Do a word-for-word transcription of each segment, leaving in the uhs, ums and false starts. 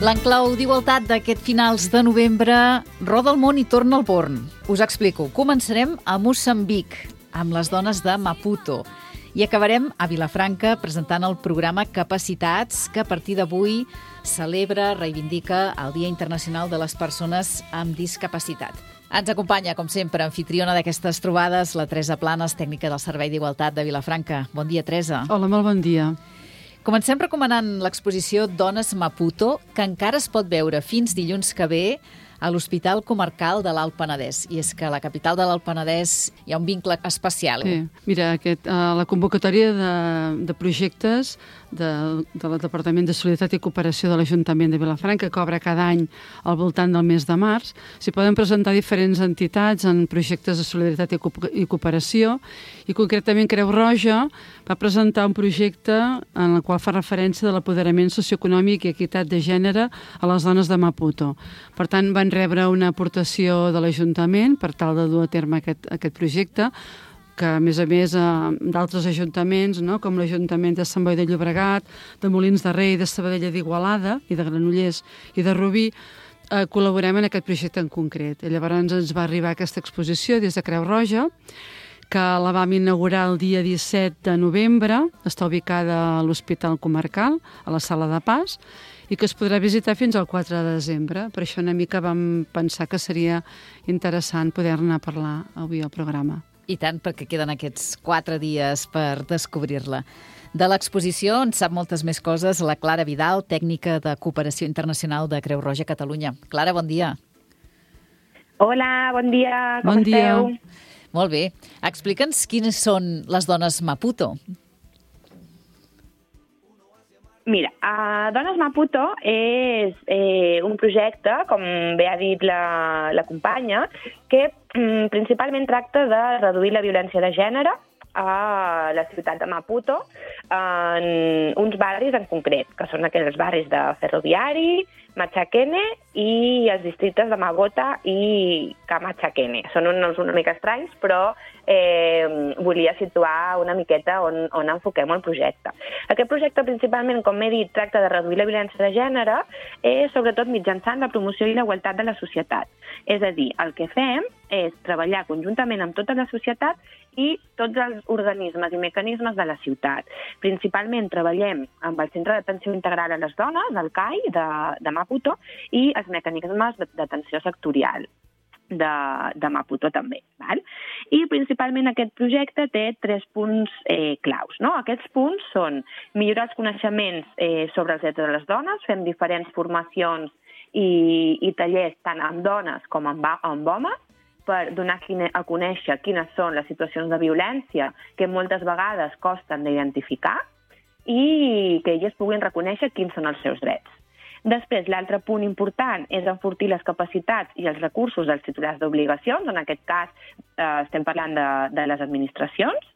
L'enclau d'igualtat d'aquest finals de novembre roda el món i torna al Born. Us explico. Començarem a Moçambic, amb les dones de Maputo. I acabarem a Vilafranca presentant el programa Capacitats, que a partir d'avui celebra, reivindica el Dia Internacional de les Persones amb Discapacitat. Ens acompanya, com sempre, anfitriona d'aquestes trobades, la Teresa Planes, tècnica del Servei d'Igualtat de Vilafranca. Bon dia, Teresa. Hola, molt bon dia. Comencem recomanant l'exposició Dones Maputo, que encara es pot veure fins dilluns que ve a l'Hospital Comarcal de l'Alt Penedès. I és que a la capital de l'Alt Penedès hi ha un vincle especial. Sí. Mira, aquest, uh, la convocatòria de, de projectes de, del Departament de Solidaritat i Cooperació de l'Ajuntament de Vilafranca, que obre cada any al voltant del mes de març, s'hi poden presentar diferents entitats en projectes de solidaritat i, co i cooperació, i concretament Creu Roja va presentar un projecte en el qual fa referència de l'apoderament socioeconòmic i equitat de gènere a les dones de Maputo. Per tant, van rebre una aportació de l'Ajuntament per tal de dur a terme aquest, aquest projecte, que a més a més eh, d'altres ajuntaments, no? Com l'Ajuntament de Sant Boi de Llobregat, de Molins de Rei, de Sabadell d'Igualada i de Granollers i de Rubí, eh, col·laborem en aquest projecte en concret. I llavors ens va arribar aquesta exposició des de Creu Roja, que la vam inaugurar el dia disset de novembre, està ubicada a l'Hospital Comarcal, a la Sala de Pas, i que es podrà visitar fins al quatre de desembre. Per això una mica vam pensar que seria interessant poder-ne parlar avui al programa. I tant, perquè queden aquests quatre dies per descobrir-la. De l'exposició en sap moltes més coses la Clara Vidal, tècnica de cooperació internacional de Creu Roja Catalunya. Clara, bon dia. Hola, bon dia, com bon esteu? Dia. Molt bé. Explica'ns quines són les dones Maputo. Mira, uh, Dones Maputo és eh, un projecte, com bé ha dit la, la companya, que mm, principalment tracta de reduir la violència de gènere a la ciutat de Maputo en uns barris en concret, que són aquells barris de Ferroviari, Machakene i els districtes de Magota i Kamachakene. Són uns una mica estranys, però eh, volia situar una miqueta on, on enfoquem el projecte. Aquest projecte, principalment, com he dit, tracta de reduir la violència de gènere, eh, sobretot mitjançant la promoció i la igualtat de la societat. És a dir, el que fem és treballar conjuntament amb tota la societat i tots els organismes i mecanismes de la ciutat. Principalment treballem amb el Centre d'Atenció Integral a les Dones, el C A I, de, de Maputo, i els mecanismes d'atenció sectorial de, de Maputo també. Val? I principalment aquest projecte té tres punts eh, claus. No? Aquests punts són millorar els coneixements eh, sobre els drets de les dones, fem diferents formacions i, i tallers tant amb dones com amb, amb homes, per donar a conèixer quines són les situacions de violència que moltes vegades costen d'identificar i que elles puguin reconèixer quins són els seus drets. Després, l'altre punt important és enfortir les capacitats i els recursos dels titulars d'obligacions, en aquest cas eh, estem parlant de, de les administracions,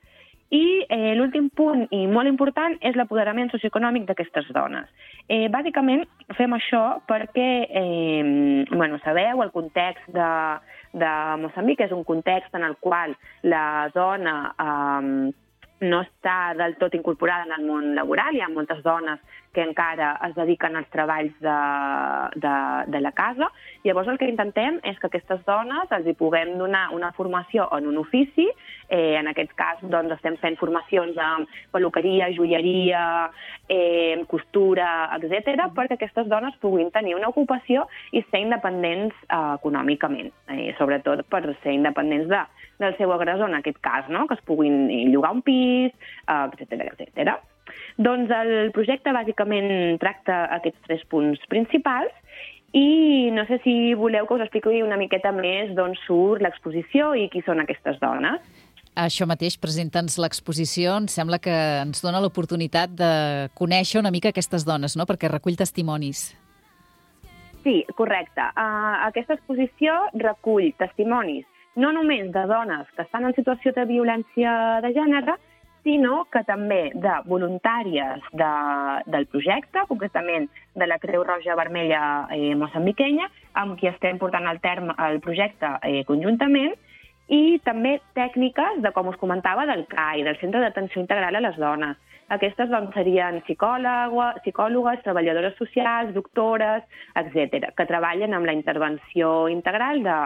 i eh, l'últim punt i molt important és l'apoderament socioeconòmic d'aquestes dones. Eh, bàsicament fem això perquè, eh, bueno, sabeu, el context de, de Moçambic és un context en el qual la dona eh, no està del tot incorporada en el món laboral. Hi ha moltes dones que encara es dediquen als treballs de, de, de la casa. Llavors el que intentem és que aquestes dones els hi puguem donar una formació en un ofici. Eh, en aquest cas doncs, estem fent formacions en peluqueria, joieria, eh, costura, etcètera, perquè aquestes dones puguin tenir una ocupació i ser independents eh, econòmicament, eh, sobretot per ser independents de, del seu agressor, en aquest cas, no? Que es puguin llogar un pis, eh, etcètera, etcètera. Doncs el projecte bàsicament tracta aquests tres punts principals i no sé si voleu que us expliqui una miqueta més d'on surt l'exposició i qui són aquestes dones. Això mateix, presenta'ns l'exposició. Em sembla que ens dona l'oportunitat de conèixer una mica aquestes dones, no? Perquè recull testimonis. Sí, correcte. Uh, aquesta exposició recull testimonis no només de dones que estan en situació de violència de gènere, sinó que també de voluntàries de, del projecte, concretament de la Creu Roja Vermella eh, moçambiquenya, amb qui estem portant al terme el projecte eh, conjuntament, i també tècniques de, com us comentava, del C A I, del Centre d'Atenció Integral a les Dones. Aquestes doncs, serien psicòlogues, psicòlogues, treballadores socials, doctores, etcètera, que treballen amb la intervenció integral de,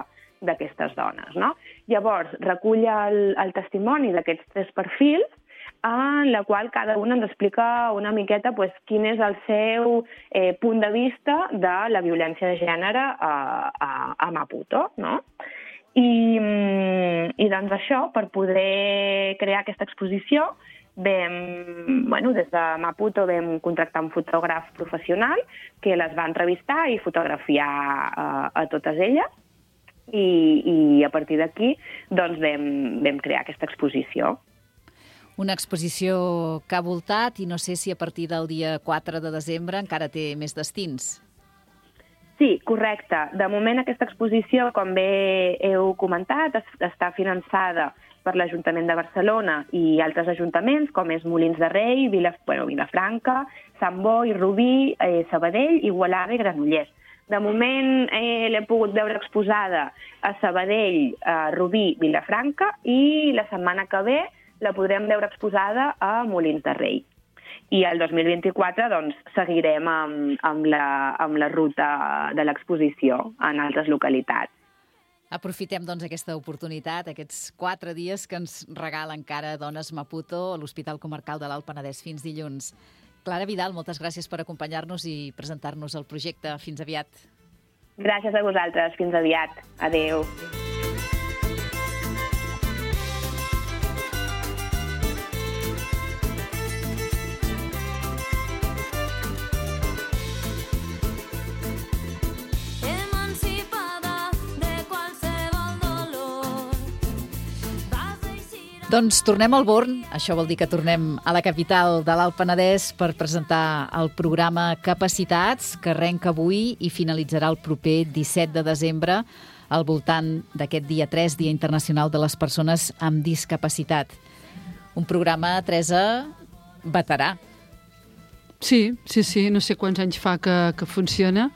d'aquestes dones. No? Llavors, recull el, el testimoni d'aquests tres perfils, en la qual cada una ens explica una miqueta pues, quin és el seu eh, punt de vista de la violència de gènere a, a, a Maputo. No? I, I doncs això, per poder crear aquesta exposició, vam, bueno, des de Maputo vam contractar un fotògraf professional que les va entrevistar i fotografiar a, a totes elles i, i a partir d'aquí doncs, vam, vam crear aquesta exposició. Una exposició que ha voltat i no sé si a partir del dia quatre de desembre encara té més destins. Sí, correcte. De moment aquesta exposició, com bé heu comentat, està finançada per l'Ajuntament de Barcelona i altres ajuntaments, com és Molins de Rei, Vila, bueno, Vilafranca, Sant Boi, Rubí, eh, Sabadell, Igualada i Granollers. De moment eh, l'he pogut veure exposada a Sabadell, a Rubí, Vilafranca i la setmana que ve la podrem veure exposada a Molins de Rei. I el dos mil vint-i-quatre doncs, seguirem amb, amb, la, amb la ruta de l'exposició en altres localitats. Aprofitem doncs, aquesta oportunitat, aquests quatre dies que ens regala encara Dones Maputo a l'Hospital Comarcal de l'Alt Penedès. Fins dilluns. Clara Vidal, moltes gràcies per acompanyar-nos i presentar-nos el projecte. Fins aviat. Gràcies a vosaltres. Fins aviat. Adéu. Doncs tornem al Born, això vol dir que tornem a la capital de l'Alt Penedès per presentar el programa Capacitats, que arrenca avui i finalitzarà el proper disset de desembre al voltant d'aquest dia tres, Dia Internacional de les Persones amb Discapacitat. Un programa, Teresa, veterà. Sí, sí, sí, no sé quants anys fa que, que funciona,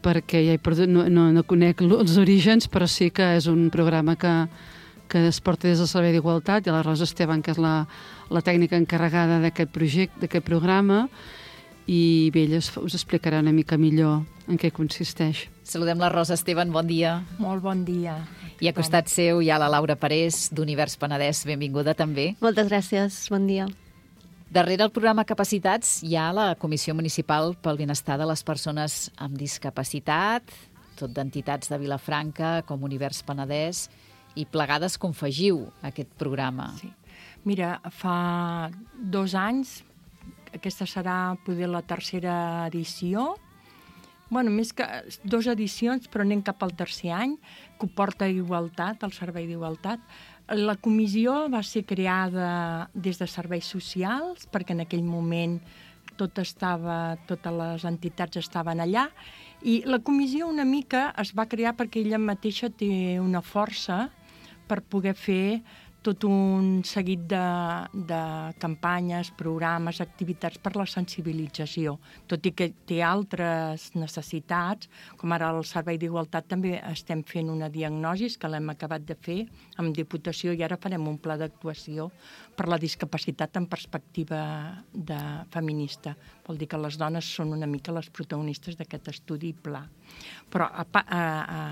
perquè ja he perdut, no, no, no conec els orígens, però sí que és un programa que que es porta des del Servei d'Igualtat, i la Rosa Esteban, que és la, la tècnica encarregada d'aquest projecte, d'aquest programa, i bé, ella us explicarà una mica millor en què consisteix. Saludem la Rosa Esteban, bon dia. Molt bon dia. I a costat seu hi ha la Laura Parés, d'Univers Penedès, benvinguda també. Moltes gràcies, bon dia. Darrere el programa Capacitats hi ha la Comissió Municipal pel Benestar de les Persones amb Discapacitat, tot d'entitats de Vilafranca, com Univers Penedès, i plegades confegiu aquest programa. Sí. Mira, fa dos anys, aquesta serà poder la tercera edició, bueno, més que dues edicions, però anem cap al tercer any, que ho porta Igualtat, el Servei d'Igualtat. La comissió va ser creada des de Serveis Socials, perquè en aquell moment tot estava, totes les entitats estaven allà, i la comissió una mica es va crear perquè ella mateixa té una força per poder fer tot un seguit de, de campanyes, programes, activitats per la sensibilització. Tot i que té altres necessitats, com ara el Servei d'Igualtat també estem fent una diagnosi que l'hem acabat de fer amb Diputació i ara farem un pla d'actuació per la discapacitat en perspectiva de feminista. Vol dir que les dones són una mica les protagonistes d'aquest estudi i pla. Però a, a,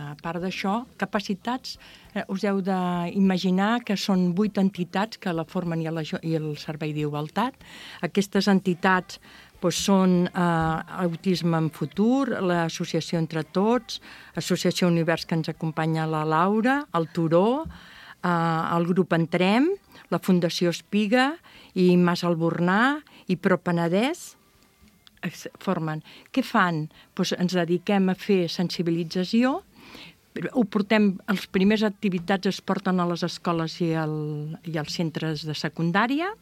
a part d'això, capacitats, eh, us heu d'imaginar que són vuit entitats que la formen i, la, i el Servei d'Igualtat. Aquestes entitats doncs, són eh, Autisme en Futur, l'Associació Entre Tots, Associació Univers, que ens acompanya la Laura, el Turó, eh, el grup Entrem, la Fundació Espiga i Mas Albornà i Pro Penedès formen. Què fan? Doncs ens dediquem a fer sensibilització. Ho portem, les primeres activitats es porten a les escoles i, el, i als centres de secundària.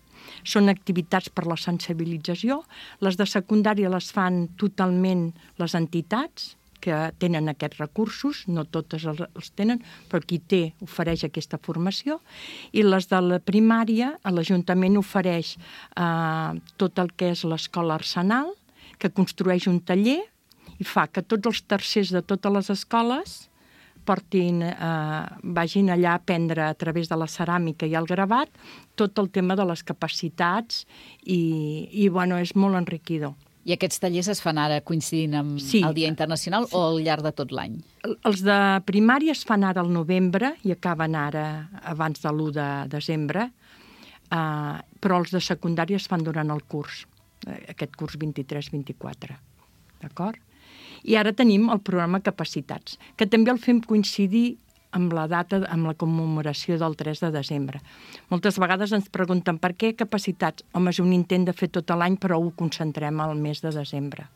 Són activitats per la sensibilització. Les de secundària les fan totalment les entitats que tenen aquests recursos, no totes els, els tenen, però qui té ofereix aquesta formació. I les de la primària, l'Ajuntament ofereix eh, tot el que és l'escola Arsenal, que construeix un taller i fa que tots els tercers de totes les escoles portin, eh, vagin allà a aprendre a través de la ceràmica i el gravat tot el tema de les capacitats i, i bueno, és molt enriquidor. I aquests tallers es fan ara coincidint amb Sí. el Dia Internacional sí. o al llarg de tot l'any? Els de primària es fan ara al novembre i acaben ara abans de l'u de desembre, eh, però els de secundària es fan durant el curs, aquest curs vint-i-tres vint-i-quatre. D'acord? I ara tenim el programa Capacitats, que també el fem coincidir amb la data, amb la commemoració del tres de desembre. Moltes vegades ens pregunten per què capacitats? Home, és un intent de fer tot l'any, però ho concentrem al mes de desembre.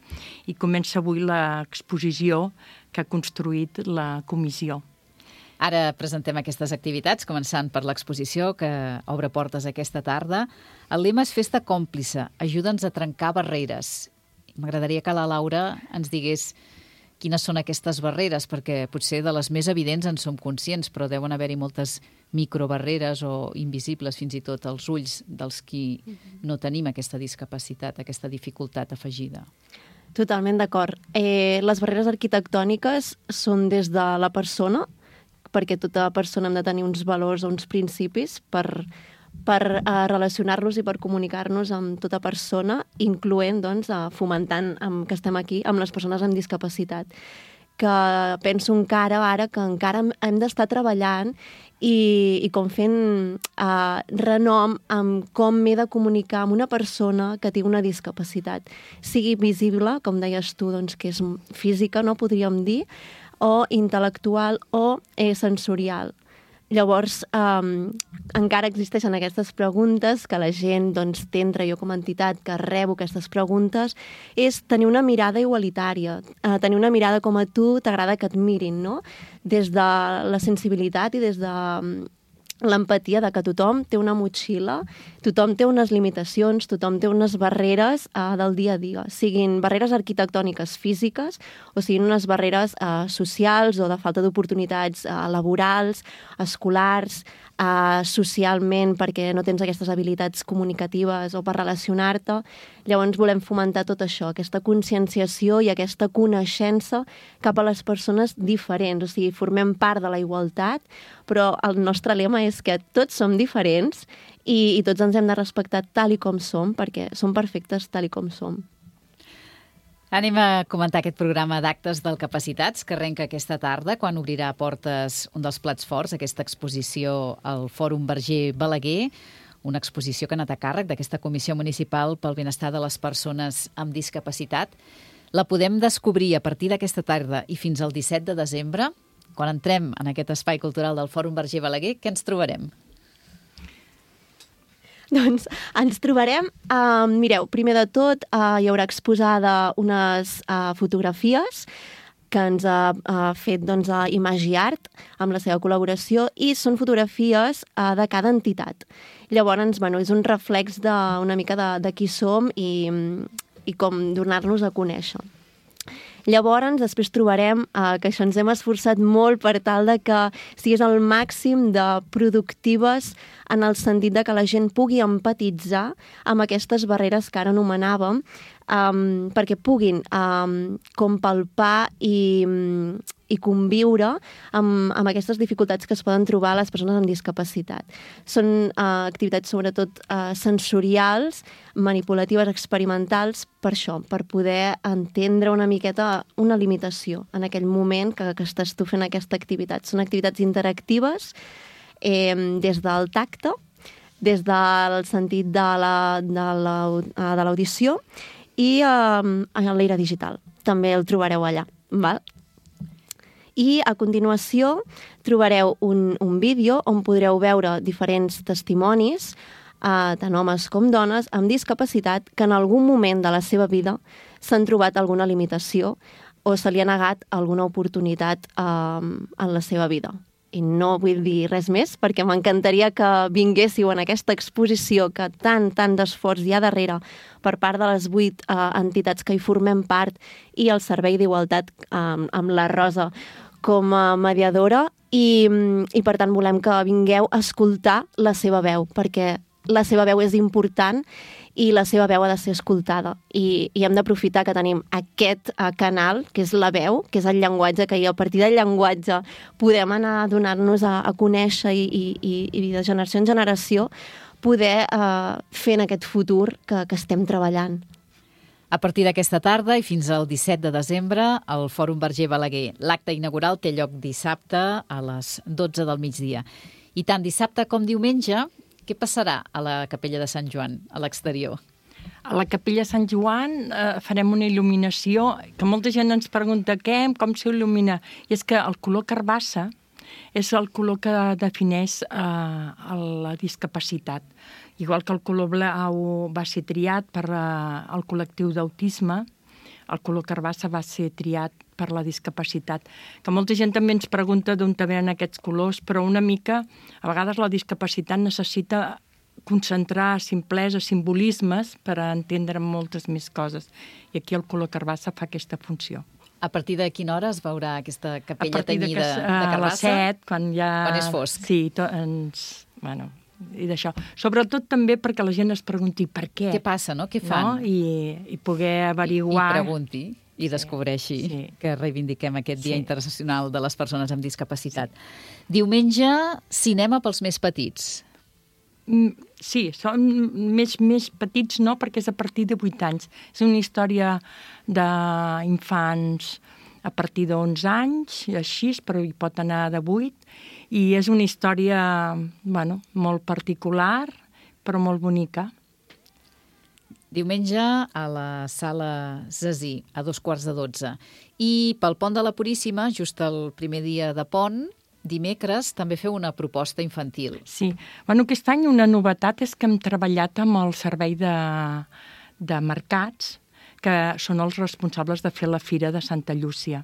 I comença avui l'exposició que ha construït la comissió. Ara presentem aquestes activitats, començant per l'exposició que obre portes aquesta tarda. El lema és Festa còmplice, ajuda'ns a trencar barreres. M'agradaria que la Laura ens digués quines són aquestes barreres, perquè potser de les més evidents en som conscients, però deuen haver-hi moltes microbarreres o invisibles fins i tot als ulls dels qui no tenim aquesta discapacitat, aquesta dificultat afegida. Totalment d'acord. Eh, les barreres arquitectòniques són des de la persona, perquè tota persona hem de tenir uns valors o uns principis per, per uh, relacionar-los i per comunicar-nos amb tota persona, incloent, doncs, uh, fomentant um, que estem aquí amb les persones amb discapacitat. Que penso encara ara que encara hem d'estar treballant i, i com fent uh, renom amb com m'he de comunicar amb una persona que té una discapacitat. Sigui visible, com deies tu, doncs, que és física, no podríem dir, o intel·lectual o eh, sensorial. Llavors, um, encara existeixen aquestes preguntes que la gent doncs, té entre jo com a entitat que rebo aquestes preguntes, és tenir una mirada igualitària, uh, tenir una mirada com a tu t'agrada que et mirin, no? Des de la sensibilitat i des de um, l'empatia de que tothom té una motxilla, tothom té unes limitacions, tothom té unes barreres uh, del dia a dia, siguin barreres arquitectòniques físiques o siguin unes barreres uh, socials o de falta d'oportunitats uh, laborals, escolars, uh, socialment perquè no tens aquestes habilitats comunicatives o per relacionar-te. Llavors volem fomentar tot això, aquesta conscienciació i aquesta coneixença cap a les persones diferents, o sigui, formem part de la igualtat, però el nostre lema és que tots som diferents i, i tots ens hem de respectar tal i com som, perquè som perfectes tal i com som. Anem a comentar aquest programa d'actes del Capacitats que arrenca aquesta tarda, quan obrirà portes un dels plats forts, aquesta exposició al Fòrum Verger Balaguer, una exposició que ha anat a càrrec d'aquesta Comissió Municipal pel Benestar de les Persones amb Discapacitat. La podem descobrir a partir d'aquesta tarda i fins al disset de desembre. Quan entrem en aquest espai cultural del Fòrum Verger Balaguer, què ens trobarem? Doncs ens trobarem, uh, mireu, primer de tot uh, hi haurà exposada unes uh, fotografies que ens ha uh, fet doncs, uh, Imagi Art amb la seva col·laboració i són fotografies uh, de cada entitat. Llavors, bueno, és un reflex de, una mica de, de qui som i, i com donar-nos a conèixer. Llavors, després trobarem eh, que això ens hem esforçat molt per tal de que sigués el màxim de productives en el sentit de que la gent pugui empatitzar amb aquestes barreres que ara anomenàvem, um, perquè puguin um, com palpar i, i conviure amb, amb aquestes dificultats que es poden trobar les persones amb discapacitat. Són uh, activitats sobretot uh, sensorials, manipulatives, experimentals, per això, per poder entendre una miqueta una limitació en aquell moment que, que estàs tu fent aquesta activitat. Són activitats interactives eh, des del tacte, des del sentit de l'audició i eh, a l'era digital. També el trobareu allà, val? I a continuació trobareu un, un vídeo on podreu veure diferents testimonis, Uh, tant homes com dones, amb discapacitat que en algun moment de la seva vida s'han trobat alguna limitació o se li ha negat alguna oportunitat uh, en la seva vida. I no vull dir res més perquè m'encantaria que vinguéssiu en aquesta exposició que tant, tant d'esforç hi ha darrere per part de les vuit uh, entitats que hi formem part i el Servei d'Igualtat um, amb la Rosa com a mediadora i, i per tant volem que vingueu a escoltar la seva veu perquè la seva veu és important i la seva veu ha de ser escoltada. I, i hem d'aprofitar que tenim aquest uh, canal, que és la veu, que és el llenguatge, que i a partir del llenguatge podem anar a donar-nos a, a conèixer i, i, i de generació en generació poder uh, fer en aquest futur que, que estem treballant. A partir d'aquesta tarda i fins al disset de desembre, al Fòrum Verger Balaguer. L'acte inaugural té lloc dissabte a les dotze del migdia. I tant dissabte com diumenge, què passarà a la Capella de Sant Joan, a l'exterior? A la Capella de Sant Joan eh, farem una il·luminació, que molta gent ens pregunta què, com s'il·lumina. I és que el color carbassa és el color que defineix eh, la discapacitat. Igual que el color blau va ser triat per eh, el col·lectiu d'autisme, el color carbassa va ser triat per la discapacitat. Que molta gent també ens pregunta d'on venen aquests colors, però una mica, a vegades la discapacitat necessita concentrar simplesa, simbolismes per a entendre moltes més coses. I aquí el color carbassa fa aquesta funció. A partir de quina hora es veurà aquesta capella tenyida de, tenyida de carbassa? A les set, quan ja... Quan és fosc. Sí, to, ens... Bueno, i d'això. Sobretot també perquè la gent es pregunti per què. Què passa, no? Què fan? No? I, I poder averiguar... I, i pregunti i descobreixi sí, sí. que reivindiquem aquest Dia sí. Internacional de les Persones amb Discapacitat. Sí. Diumenge, cinema pels més petits. Sí, són més, més petits no, perquè és a partir de vuit anys. És una història d'infants a partir d'onze anys, així, però hi pot anar de vuit, i és una història, bueno, molt particular, però molt bonica. Diumenge a la Sala Zazí, a dos quarts de dotze. I pel Pont de la Puríssima, just el primer dia de pont, dimecres, també feu una proposta infantil. Sí. Bueno, aquest any una novetat és que hem treballat amb el servei de, de mercats, que són els responsables de fer la Fira de Santa Llúcia.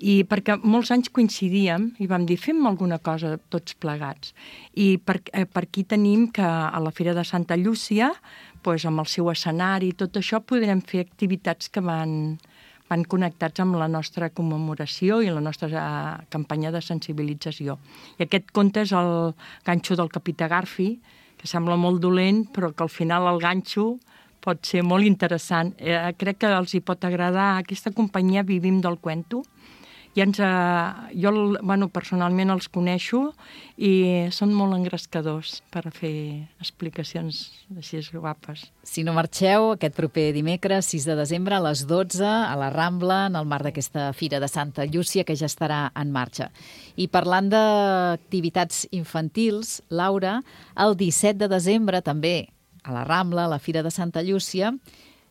I perquè molts anys coincidíem i vam dir, fem alguna cosa tots plegats. I per, eh, per aquí tenim que a la Fira de Santa Llúcia, pues, amb el seu escenari i tot això, podrem fer activitats que van, van connectats amb la nostra commemoració i la nostra eh, campanya de sensibilització. I aquest conte és el ganxo del Capità Garfi, que sembla molt dolent, però que al final el ganxo pot ser molt interessant. Eh, crec que els hi pot agradar. Aquesta companyia Vivim del Cuento. I ens, eh, jo bueno, personalment els coneixo i són molt engrescadors per fer explicacions així guapes. Si no marxeu, aquest proper dimecres, sis de desembre, a les dotze, a la Rambla, en el marc d'aquesta Fira de Santa Llúcia, que ja estarà en marxa. I parlant d'activitats infantils, Laura, el disset de desembre també, a la Rambla, a la Fira de Santa Llúcia,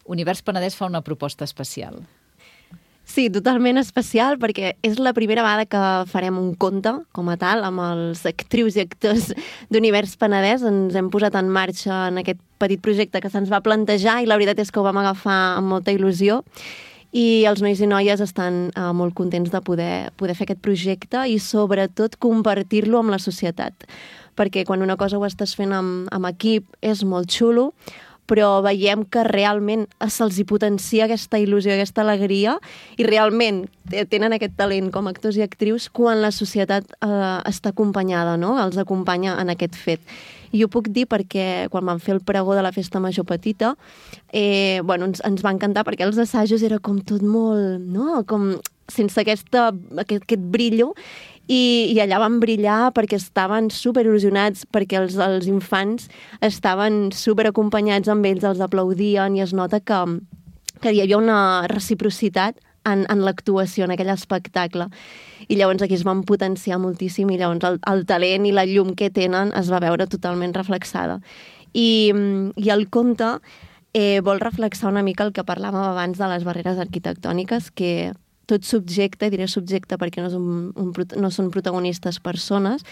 Univers Penedès fa una proposta especial. Sí, totalment especial, perquè és la primera vegada que farem un conte, com a tal, amb els actrius i actors d'Univers Penedès. Ens hem posat en marxa en aquest petit projecte que se'ns va plantejar i la veritat és que ho vam agafar amb molta il·lusió. I els nois i noies estan eh, molt contents de poder, poder fer aquest projecte i sobretot compartir-lo amb la societat. Perquè quan una cosa ho estàs fent amb, amb equip és molt xulo, però veiem que realment se'ls hi potencia aquesta il·lusió, aquesta alegria, i realment tenen aquest talent com a actors i actrius quan la societat eh, està acompanyada, no? Els acompanya en aquest fet. I ho puc dir perquè quan vam fer el pregó de la Festa Major Petita, eh, bueno, ens, ens va encantar perquè els assajos era com tot molt, no? Com sense aquesta, aquest, aquest brillo, I, i allà van brillar perquè estaven super il·lusionats, perquè els, els infants estaven super acompanyats amb ells, els aplaudien i es nota que, que hi havia una reciprocitat en, en l'actuació, en aquell espectacle. I llavors aquí es van potenciar moltíssim i llavors el, el talent i la llum que tenen es va veure totalment reflexada. I, i el conte eh, vol reflexar una mica el que parlàvem abans de les barreres arquitectòniques, que tot subjecte, diré subjecte perquè no, és un, un, no són protagonistes persones,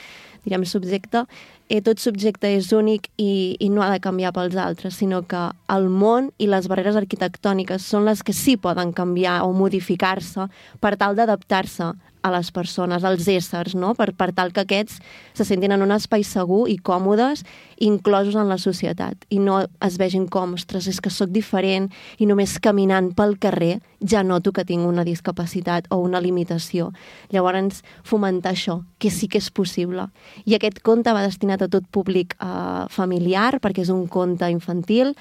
direm subjecte, eh, tot subjecte és únic i, i no ha de canviar pels altres, sinó que el món i les barreres arquitectòniques són les que sí poden canviar o modificar-se per tal d'adaptar-se a les persones, als éssers, no? per, per tal que aquests se sentin en un espai segur i còmodes, inclosos en la societat, i no es vegin com, ostres, és que sóc diferent i només caminant pel carrer ja noto que tinc una discapacitat o una limitació. Llavors, fomentar això, que sí que és possible, i aquest conte va destinat a tot públic uh, familiar, perquè és un conte infantil.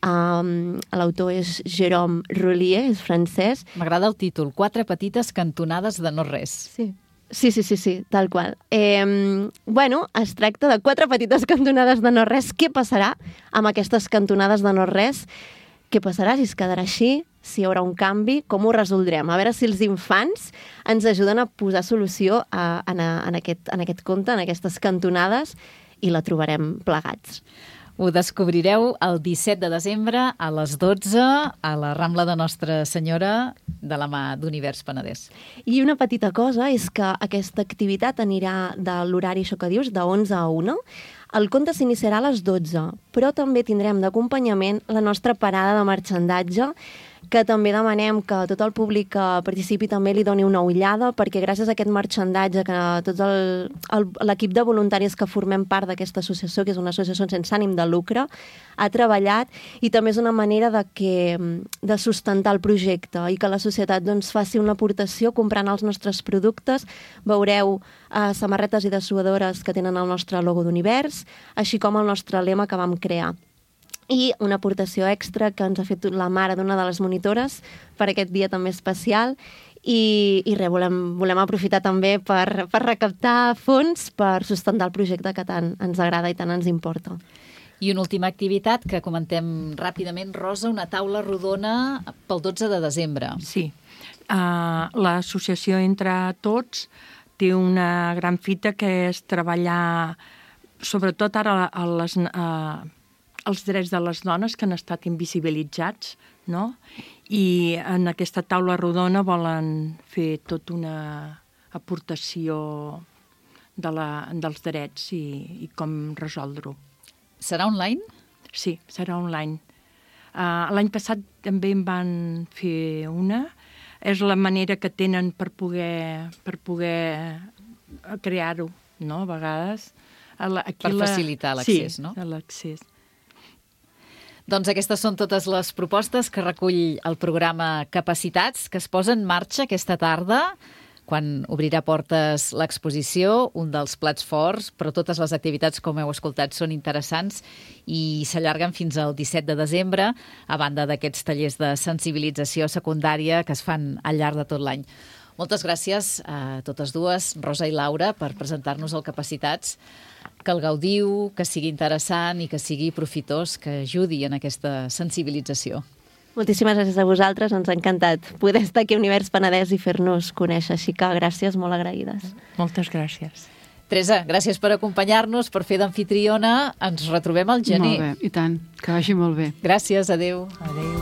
Um, L'autor és Jérôme Roulier, és francès. M'agrada el títol, Quatre petites cantonades de no res. Sí. Sí, sí, sí, sí, tal qual. Eh, bueno, es tracta de quatre petites cantonades de no res. Què passarà amb aquestes cantonades de no res? Què passarà si es quedarà així? Si hi haurà un canvi? Com ho resoldrem? A veure si els infants ens ajuden a posar solució a, a, en, aquest, en aquest conte, en aquestes cantonades, i la trobarem plegats. Ho descobrireu el disset de desembre a les dotze a la Rambla de Nostra Senyora de la mà d'Univers Penedès. I una petita cosa és que aquesta activitat anirà de l'horari, això que dius, de onze a una. El conte s'iniciarà a les dotze, però també tindrem d'acompanyament la nostra parada de marxandatge, que també demanem que tot el públic que participi també li doni una ullada, perquè gràcies a aquest marxandatge que tot l'equip de voluntaris que formem part d'aquesta associació, que és una associació sense ànim de lucre, ha treballat, i també és una manera de, que, de sustentar el projecte i que la societat doncs, faci una aportació comprant els nostres productes. Veureu eh, samarretes i dessuadores que tenen el nostre logo d'Univers, així com el nostre lema que vam crear. I una aportació extra que ens ha fet la mare d'una de les monitores per aquest dia també especial, i, i res, volem, volem aprofitar també per, per recaptar fons per sustentar el projecte que tant ens agrada i tant ens importa. I una última activitat que comentem ràpidament, Rosa, una taula rodona pel dotze de desembre. Sí, uh, l'associació Entre Tots té una gran fita que és treballar sobretot ara a les... Uh, els drets de les dones que han estat invisibilitzats, no? I en aquesta taula rodona volen fer tota una aportació de la, dels drets i, i com resoldre-ho. Serà online? Sí, serà online. Uh, L'any passat també en van fer una. És la manera que tenen per poder, per poder crear-ho, no?, a vegades. Aquí per facilitar l'accés, sí, no? Sí, l'accés. Doncs aquestes són totes les propostes que recull el programa Capacitats, que es posa en marxa aquesta tarda, quan obrirà portes l'exposició, un dels plats forts, però totes les activitats, com heu escoltat, són interessants i s'allarguen fins al disset de desembre, a banda d'aquests tallers de sensibilització secundària que es fan al llarg de tot l'any. Moltes gràcies a totes dues, Rosa i Laura, per presentar-nos el Capacitats. Que el gaudiu, que sigui interessant i que sigui profitós, que ajudi en aquesta sensibilització. Moltíssimes gràcies a vosaltres, ens ha encantat poder estar aquí a Univers Penedès i fer-nos conèixer, així que gràcies, molt agraïdes. Moltes gràcies. Teresa, gràcies per acompanyar-nos, per fer d'amfitriona. Ens retrobem al gener. Molt bé, i tant. Que vagi molt bé. Gràcies, adeu. Adeu.